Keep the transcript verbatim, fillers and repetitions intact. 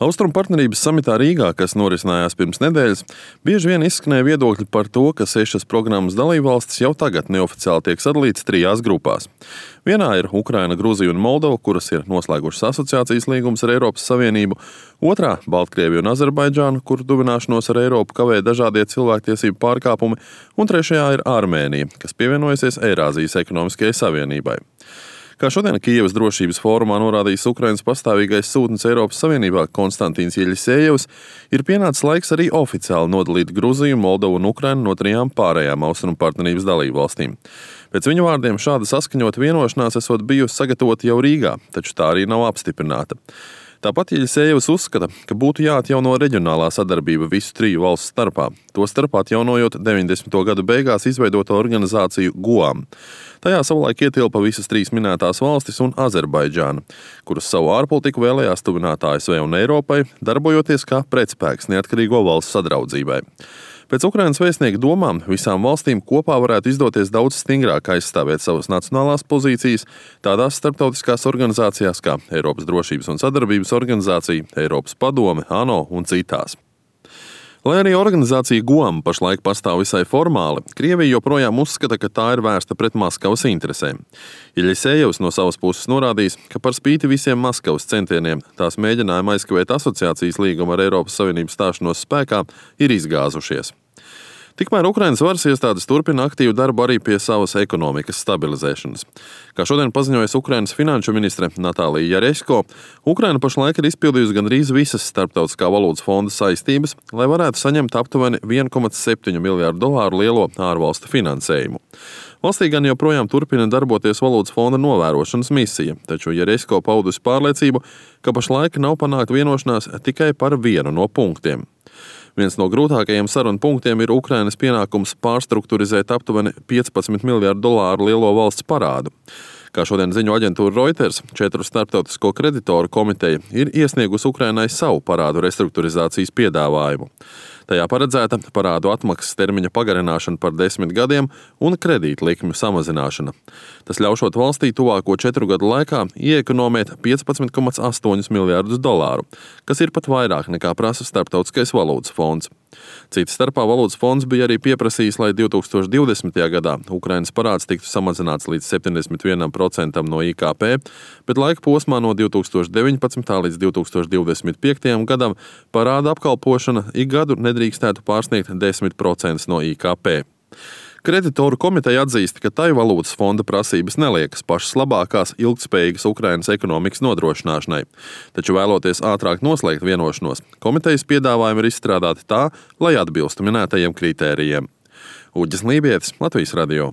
Austrumu partnerības samitā Rīgā, kas norisinājās pirms nedēļas, bieži vien izskanēja viedokļi par to, ka sešas programmas dalībvalstis jau tagad neoficiāli tiek sadalītas trijās grupās. Vienā ir Ukraina, Gruzija un Moldova, kuras ir noslēgušas asociācijas līgumus ar Eiropas Savienību, otrā – Baltkrievija un Azerbaidžāna, kuru tuvināšanos ar Eiropu kavē dažādie cilvēktiesību pārkāpumi, un trešajā ir Armēnija, kas pievienojusies Eirāzijas ekonomiskajai savienībai. Kā šodien Kijevas drošības fórumā norādījis Ukrainas pastāvīgais sūtnis Eiropas Savienībā Konstantīns Jeļisejevs, ir pienācis laiks arī oficiāli nodalīt Gruziju, Moldovu un Ukrainu no trijām pārējām austrumu partnerības dalībvalstīm. Pēc viņu vārdiem šāda saskaņota vienošanās esot bijusi sagatavota jau Rīgā, taču tā arī nav apstiprināta. Tāpat Jeļisejevs uzskata, ka būtu jāatjauno reģionālā sadarbība visu triju valstu starpā, tostarp atjaunojot deviņdesmito gadu beigās izveidoto organizāciju GUAM. Tajā savulaik ietilpa visas trīs minētās valstis un Azerbaidžāna, kuras savu ārpolitiku vēlējās tuvināt A S V un Eiropai, darbojoties kā pretspēks neatkarīgo valstu sadraudzībai. Pēc Ukrainas vēstnieka domām visām valstīm kopā varētu izdoties daudz stingrāk aizstāvēt savas nacionālās pozīcijas tādās starptautiskās organizācijās kā Eiropas drošības un sadarbības organizācija, Eiropas padome, ANO un citās. Lai arī organizācija GUAM pašlaik pastāv visai formāli, Krievija joprojām uzskata, ka tā ir vērsta pret Maskavas interesēm. Jeļisejevs no savas puses norādījis, ka par spīti visiem Maskavas centieniem tās mēģinājumi aizkavēt asociācijas līgumu ar Eiropas Savienības stāšanos spēkā ir izgāzušies. Tikmēr Ukrainas varas iestādes turpina aktīvu darbu arī pie savas ekonomikas stabilizēšanas. Kā šodien paziņojas Ukrainas finanšu ministre Natālija Jaresko, Ukraina pašlaik ir izpildījusi gandrīz visas Starptautiskā valūtas fonda saistības, lai varētu saņemt aptuveni viena komats septiņi miljārdu dolāru lielo ārvalstu finansējumu. Valstī gan joprojām turpina darboties valūtas fonda novērošanas misija, taču Jaresko paudusi pārliecību, ka pašlaik nav panākt vienošanās tikai par vienu no punktiem. Viens no grūtākajiem sarunu punktiem ir Ukrainas pienākums pārstrukturizēt aptuveni piecpadsmit miljārdu dolāru lielo valsts parādu. Kā šodien ziņo aģentūra Reuters, četru starptautisko kreditoru komiteja ir iesniegusi Ukrainai savu parādu restrukturizācijas piedāvājumu. Tajā paredzēta parādu atmaksas termiņa pagarināšana par desmit gadiem un kredītlikmju samazināšana. Tas ļaušot valstī tuvāko četru gadu laikā ieekonomēt piecpadsmit komats astoņi miljārdus dolāru, kas ir pat vairāk nekā prasa Starptautiskais valūtas fonds. Cits starpā valūtas fonds bija arī pieprasījis, lai divi tūkstoši divdesmitajā gadā Ukrainas parāds tiktu samazināts līdz septiņdesmit vienam procentam no I K P, bet laika posmā no divi tūkstoši deviņpadsmitā līdz divi tūkstoši divdesmit piektajam gadam parāda apkalpošana ik gadu nedrīkstētu pārsniegt desmit procentus no I K P. Kreditoru komiteja atzīst, ka tai valūtas fonda prasības neliekas pašas labākās ilgtspējīgas Ukrainas ekonomikas nodrošināšanai, taču vēloties ātrāk noslēgt vienošanos, komitejas piedāvājumi ir izstrādāti tā, lai atbilstu minētajiem kritērijiem. Uģis Lībietis, Latvijas radio.